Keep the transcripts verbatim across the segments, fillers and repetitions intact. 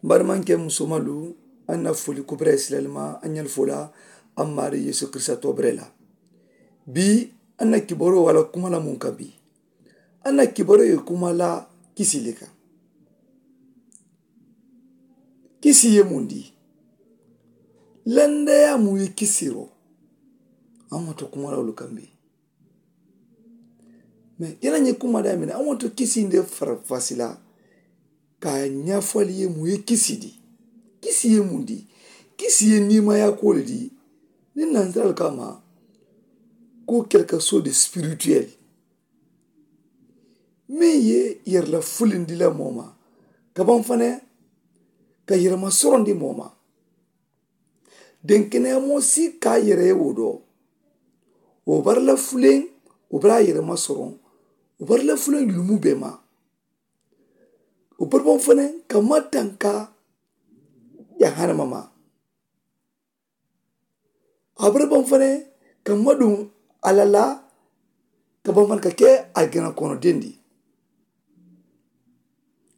N barimankee musomalu, a na foli kubira ye silalima a ɲali fo la a maari yeesu kirisita tobire la. Bii a na kibaaroo wala kuma la muŋ ka bii a na kibaaroo ye kuma la kisi le ka. Kisi ye muŋ di? Landayaa muŋ ye kisi ro. A maŋ to kuma la wolu ka bii. Mee i la ɲiŋ kuma daa miŋ na a maŋ to kisi nde farafasi la. Ka a ɲafali ye muŋ ye kisi di? Kisi ye muŋ di? Kisi ye niimaayaa kuwo le di. Niŋ nansiralu ka a ma ko kelikaso de sipirituweli meŋ ye yere la fulindi la moo ma ka baŋ fanaŋ ka yerema sorondi moo ma. Denkeneyaa moo si ka a yere ye wo do wo bari la fuleŋ wo bari a yerema soroŋ wo bari la fuleŋ yulumu bee ma. Wo bari baŋ fanaŋ ka ma tanka jahannama ma. A bari baŋ fanaŋ ka ma duŋ a la la ka baŋ fanaŋ ka ke alijana kono dendi.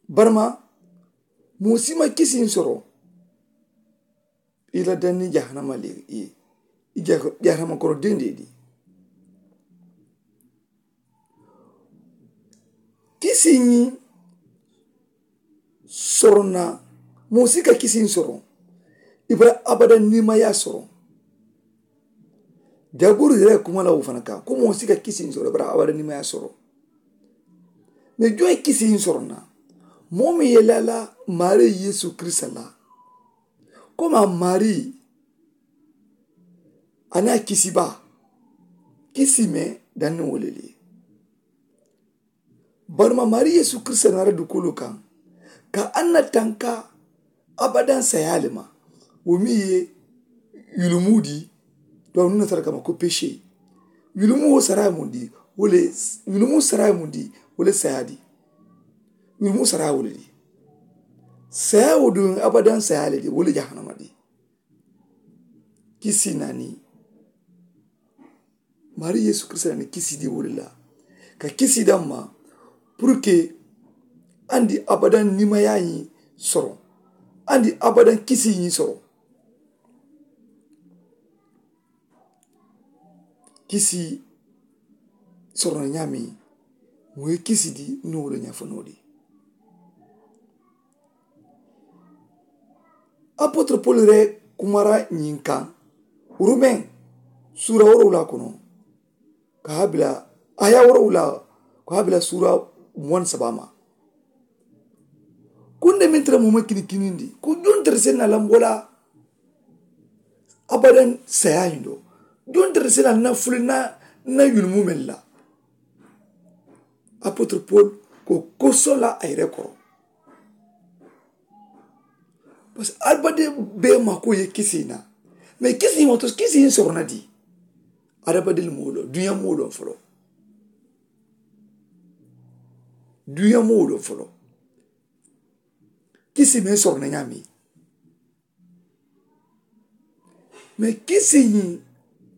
Barima moo si ma kisiŋ soro i la daŋ niŋ jahannama le ye i jahannama kono dendi di. Kisiŋ soroŋ na moo si ka kisiŋ soroŋ i bara abada niimaayaa soroŋ. Jaaburu yere kuma la wo fanaŋ kaŋ ko moo si ka kisiŋ soroŋ i bara abada niimaayaa soroŋ. Mee joŋ ye kisiŋ soroŋ na moo meŋ ye laa la maarii yeesu kirisita la komi a maarii a niŋ a kisibaa kisi meŋ daŋ niŋ wo le le ye. Barima maarii yeesu kirisita naata dukoolu kaŋ ka a na tanka abadaŋ sayaa le ma wo meŋ ye yulumu di. Duwaawu niŋ nasara kama ko pese yulumu wo saraa ye muŋ di? Wo le yulumu saraa ye muŋ di? Wo le sayaa di. Yulumu saraa wo le di. Sayaa wo duŋ abadaŋ sayaa le di wo le jahannama di. Kisi naani maarii yeesu kirisita naani kisi di wo le la ka kisi daŋ ma puruke andi abadaŋ niimaayaa ñiŋ soro andi abadaŋ kisi ñiŋ soro. Kisi sorono ñaameŋ moo ye kisi di niŋ wo le ñaafo noo di. Apotoro polu yere kumara ñiŋ kaŋ rumeŋ suura woorowula kono ka a bila a ye a woorowula ko a bila suura muwaŋ saba ma. Kunde meŋ tara moo ma kini kinindi ko joŋ tara se na lambola abadaŋ sayaa ñiŋ do joŋ tara se na na fuli na na yulumu meŋ la. Apotoro polu ko kosoŋ la a yere koro. Parce que adamadiŋ bee maakoo ye kisi na mais kisi ma to kisi in soroŋ na di. Adamadiŋ moo loŋ duniyaa moo loŋ foloo duniyaa moo loŋ foloo kisi meŋ soroŋ na ñaameŋ. Mais kisi ñiŋ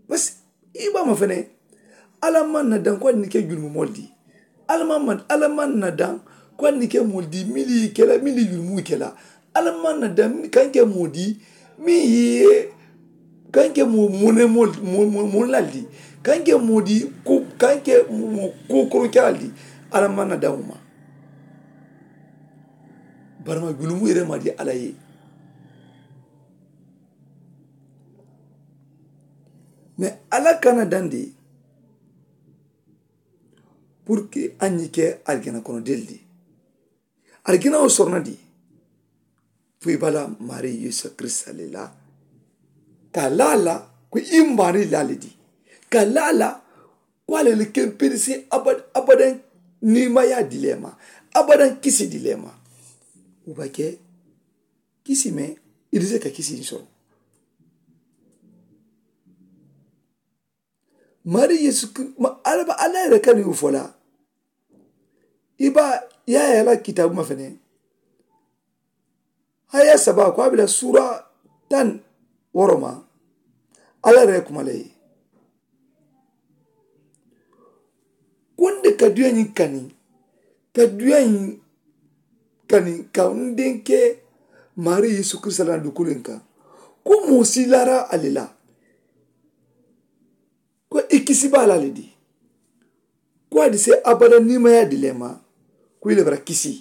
parce que i be a ma fene alla maŋ na daŋ ko a ni ke julumu moolu di. Alla maŋ maŋ alla maŋ na daŋ ko a ni ke moolu di miŋ ye ke la miŋ ye julumu ke la. Alla maŋ na daŋ kaŋ ke moo di miŋ ye kaŋ ke moo mone moolu di kaŋ ke moo di ko kaŋ ke moo ko koroŋ ke la di. Alla maŋ na daŋ wo ma. Barima julumu yere ma di alla ye. Mais alla kana daŋ de pour que a ñi ke alijana kono del di. Alijana wo sorono di fo i bala mari yesu krista le la ka lala ko i mari lale di ka lala ko ale le kempirisi abad abadan nimaya dilema abadan kisi dilema. Ubake kisi me idise ka kisi soro. Mari yesu alaba ala yere kani ufola iba yaya la kitabu mafene haya saba ko abila sura tan woroma. Ala yere kuma le kunde ka duya ñiŋ kani ka duya ñiŋ kani ka n denke Maarii yeesu kirisita la na dukuliŋ kaŋ, ko moo si laara a le la, ko i kisi baa la le di, ko a di se abada nimayaa di le ma, ko i le bara kisi,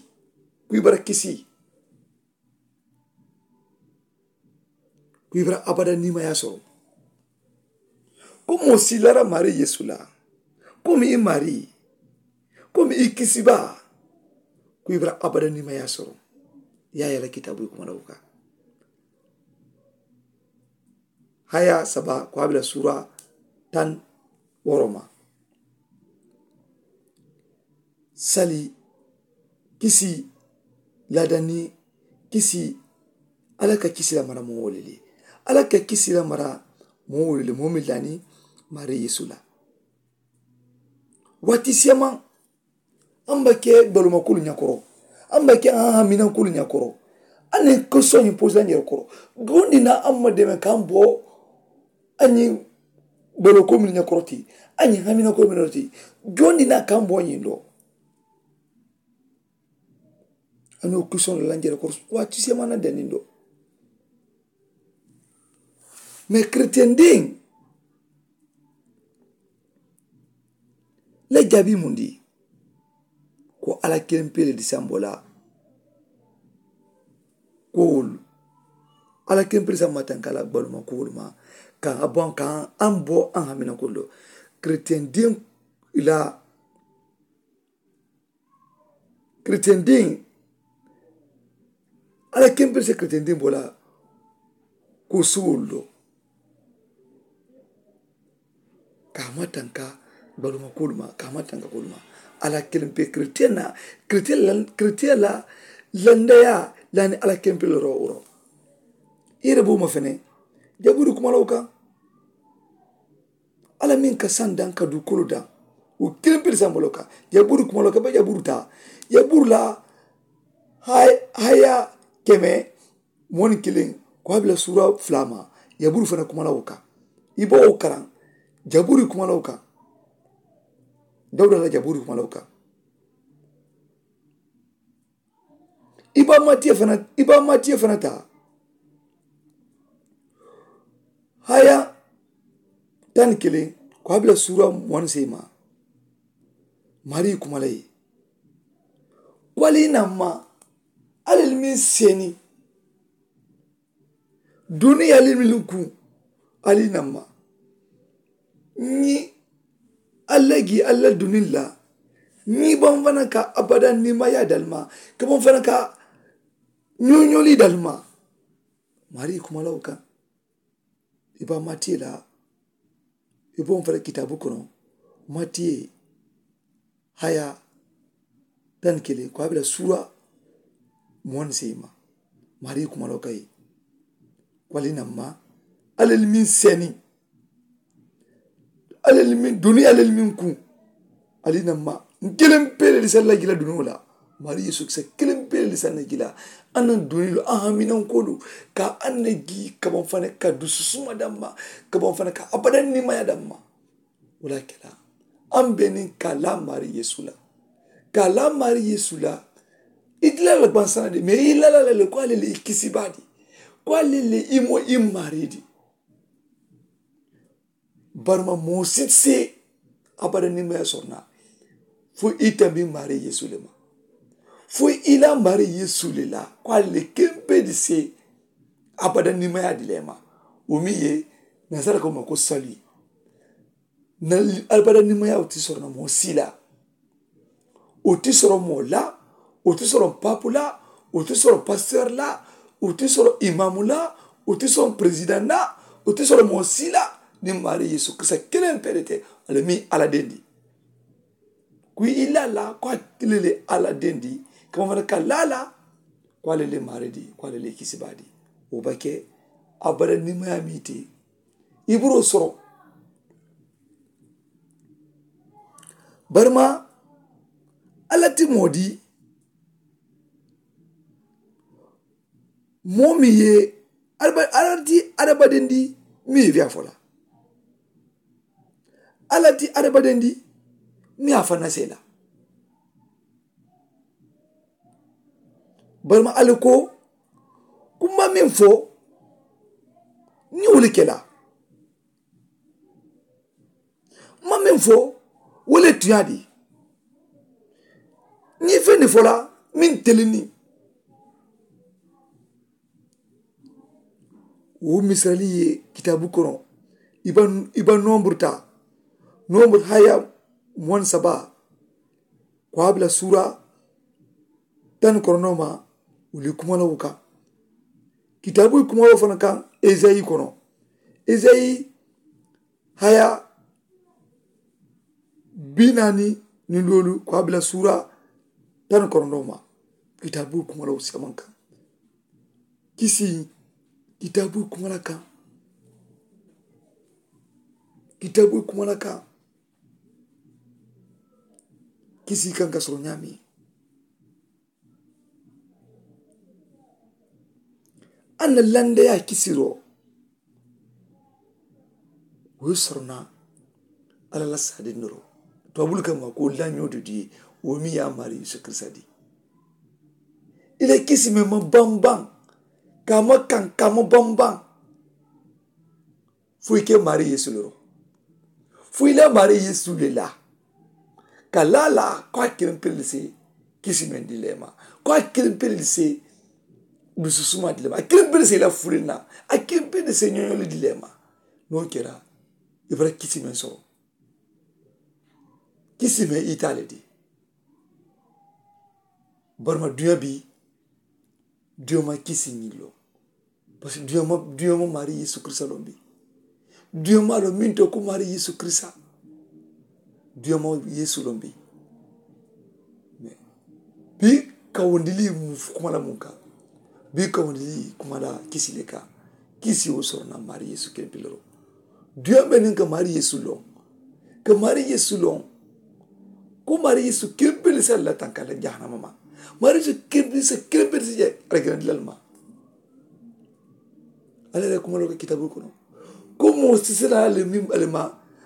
ko i bara kisi, ko i bara abada nimayaa soro. Ko moo si laara maarii yeesu la, ko mi i maarii, ko mi i kisi baa, ko i bara abada nimayaa soro. Yaa yala kitaabu i kuma la wo kaŋ. Haya saba ko a bila suura tan woroma. Sali kisi, ladani kisi. Ala ka kisi la mara moo wolili. Ala ka kisi la mara moo wolili moo mi lani mari yeesu la. Waati sema an ba ke baluma kulu nyakoro, an ba ke an hamina kulu nyakoro. An ne ko sonyi posa nyakoro. Gondi na an ma deme kan bo. An yi balo ko min nyakoro ti, an yi hamina ko min ti. Gondi na kan bo nyi do. An yi kuson la nyakoro. Waati sema na deni do. Me kreten din le jabi mundi. Ko ala kiliŋ pele di sambo la kuwolu. Ala kiliŋ pele sambo tanka la gbaluma kuwolu ma. Ka a bo an kan an bo an hamina kuwolu. Kreten din la kreten din. Ala kempiri se kreten din bo la ko suwolu lo. Ka ma tanka baluma kuluma ka ma tanka kuluma. Ala kelimpe kreten na kreten la kreten la landaya lani ala kempiri ro uro. Ire bo ma fene jaburi kuma lo kan. Ala meŋ ka saŋ daŋ ka duu kulu daŋ. Wo kiliŋ pili saŋ bolo kaŋ. Yaburu kuma lo kaŋ ba yaburu taa yaburu la. Haya keme moni kiliŋ ko a bila suura fula ma. Yaburu fana kuma la wo kaŋ. I ba wo karaŋ. Jaburu kuma la wo kaŋ. Dawuda la jaburu kuma la wo kaŋ. I ba matiye fana i ba matiye fana taa. Haya tani kiliŋ ko a bila suura muwani sey ma. Mari kuma la ye. Ko ali na ma ali meŋ seni duniya ali meŋ ku ali na ma. Ni alla gi alla duniya la ni baŋ fana ka abada ni ma ya dalma ka baŋ fana ka ñoñoli dalma. Mari kuma la wo kaŋ. I ba matiye la i ba wo fana kitaabu kono. Matiye haya tan kele ko a bela suura muwan sey ma. Mari kuma la wo kaŋ ye ko ali na ma alla meŋ seni alla meŋ duniya alla meŋ kuŋ. Ali na ma n keleŋ pele di salla gila duniyo la. Mari yesu kisa keleŋ pele di sanna gila. An na duniyo an haminan kolu ka an na gi kaban fana ka dususuma damma kaban fana ka abadan nimaya damma. Wala kela an benin ka la mari yesu la ka la mari yesu la. I dila la bansana de mais i lala la le ko ale le i kisi badi ko ale le i mo i mari di. Barima moo si ti se abada nimaya sɔrɔ na. Fo i tambi mari yesu le ma fo i la mari yesu le la ko ale le kempe di se abada nimaya di le ma. Wo mi ye nasara ko ma ko sali na abada nimaya wo ti sɔrɔ na moo si la. O ti sɔrɔ moo la o ti sɔrɔ papu la o ti sɔrɔ pasiteri la o ti sɔrɔ imamu la o ti sɔrɔ peresidan la o ti sɔrɔ moo si la. Ni mari yesu kirisa kelen pere te ale mi ala den di. Ku i la la ko a kile le ala den di kama fana ka la la ko ale le mari di ko ale le kisi ba di. O ba ke abada nimaya mi te. Iburo sɔrɔ barima ala ti moo di. Moo mi ye ala ti adabadendi mi ye fiya fola. Ala ti adabadendi mi a fana sela. Barima ali ko Kuma meŋ fo, niŋ wo le ke la, ma meŋ fo, wo le tuyaa di. Niŋ feŋ ne fo la meŋ telini, wo misali ye kitaabu kono. I ba i ba nomburu taa, nomburu haya muwaŋ saba, ko a bila suura tani korondoo ma. Wuli kuma la wo kaŋ, kitaabu kuma wo fanaŋ kaŋ. Ezayi kono, ezayi haya bi naani niŋ doolu, ko a bila suura tani korondoo ma. Kitaabu kuma la wo samaŋ kaŋ. Kisi kitaabu kuma la kaŋ. Kitaabu kuma la kaŋ. Kisi kaŋ ka soro ñaami. A na landeyaa kisiroo, wo ye soro na alla la saadindoroo. Tuwaabuulu ka maa ko lañoo to di, wo miŋ ye a maari yeesu kirisa di. I la kisi meŋ ma bambaŋ, ka a ma kaŋ ka a ma bambaŋ. Fo i ke maari yeesu le ro. Fo i la maari yeesu le la ka laa la ko a kiliŋ pele le se kisi meŋ di le ma, ko a kiliŋ pele le se dusu suma di le ma, a kiliŋ pele le se i la fuliŋ na, a kiliŋ pele le se ñoño le di le ma. Niŋ wo kera i bara kisi meŋ soro. Kisi meŋ i taa le di. Barima duña bi duña ma kisi ñiŋ loŋ. Parisiko duña ma duña ma maari yeesu kirisa loŋ bi. Duña ma loŋ meŋ to ko maari yeesu kirisa. Duña ma yeesu loŋ bi. Bii kawundilii mu kuma la muŋ kaŋ. Bii kawundilii kuma la kisi le kaŋ. Kisi wo soro na maari yeesu kempilero. Duña be niŋ ka maari yeesu loŋ, ka maari yeesu loŋ. Ko maari yeesu kempili se alla tanka la jahannama ma. Maari yeesu kempili se kempili se je aljanna dilal ma. Alla la kuma lo ka kitabu kono ko moo si sena le miŋ ale ma,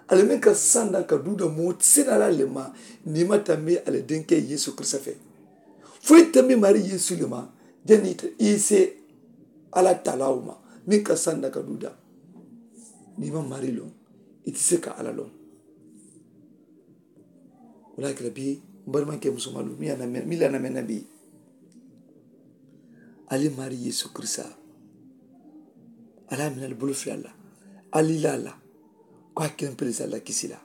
ale miŋ ka sanda ka duuda moo si sena la le ma. Ni ma tambi ale denke yeesu kirista fe. Fo i tambi maari yeesu le ma. Jani i se alla talaawo ma miŋ ka sanda ka duuda. Ni ma maari loŋ i ti se ka alla loŋ. Wala kila bi mbari manke musomalu mi ana mi lana mena bi. Ali mari yesu kirisa. Ala mina ali bulu filalla. Ali lala ko a kirin pirisa la kisila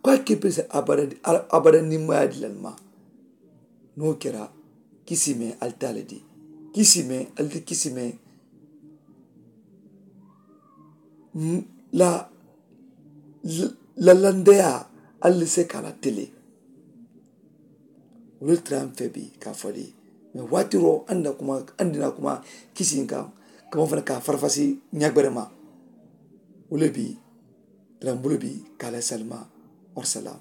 ko a kirin pirisa abada. Abada ni maya dilal ma. No kira kisime ali tale di kisime ali kisime. La lalandeya ali se kala tele. Wolu le tara n fe bi ka fo le mais waatiro andina kuma andina kuma kisi in kan kama fana ka farafasi ñagberema. Wolu le bi tara n bulu bi kala salima. Warsalam.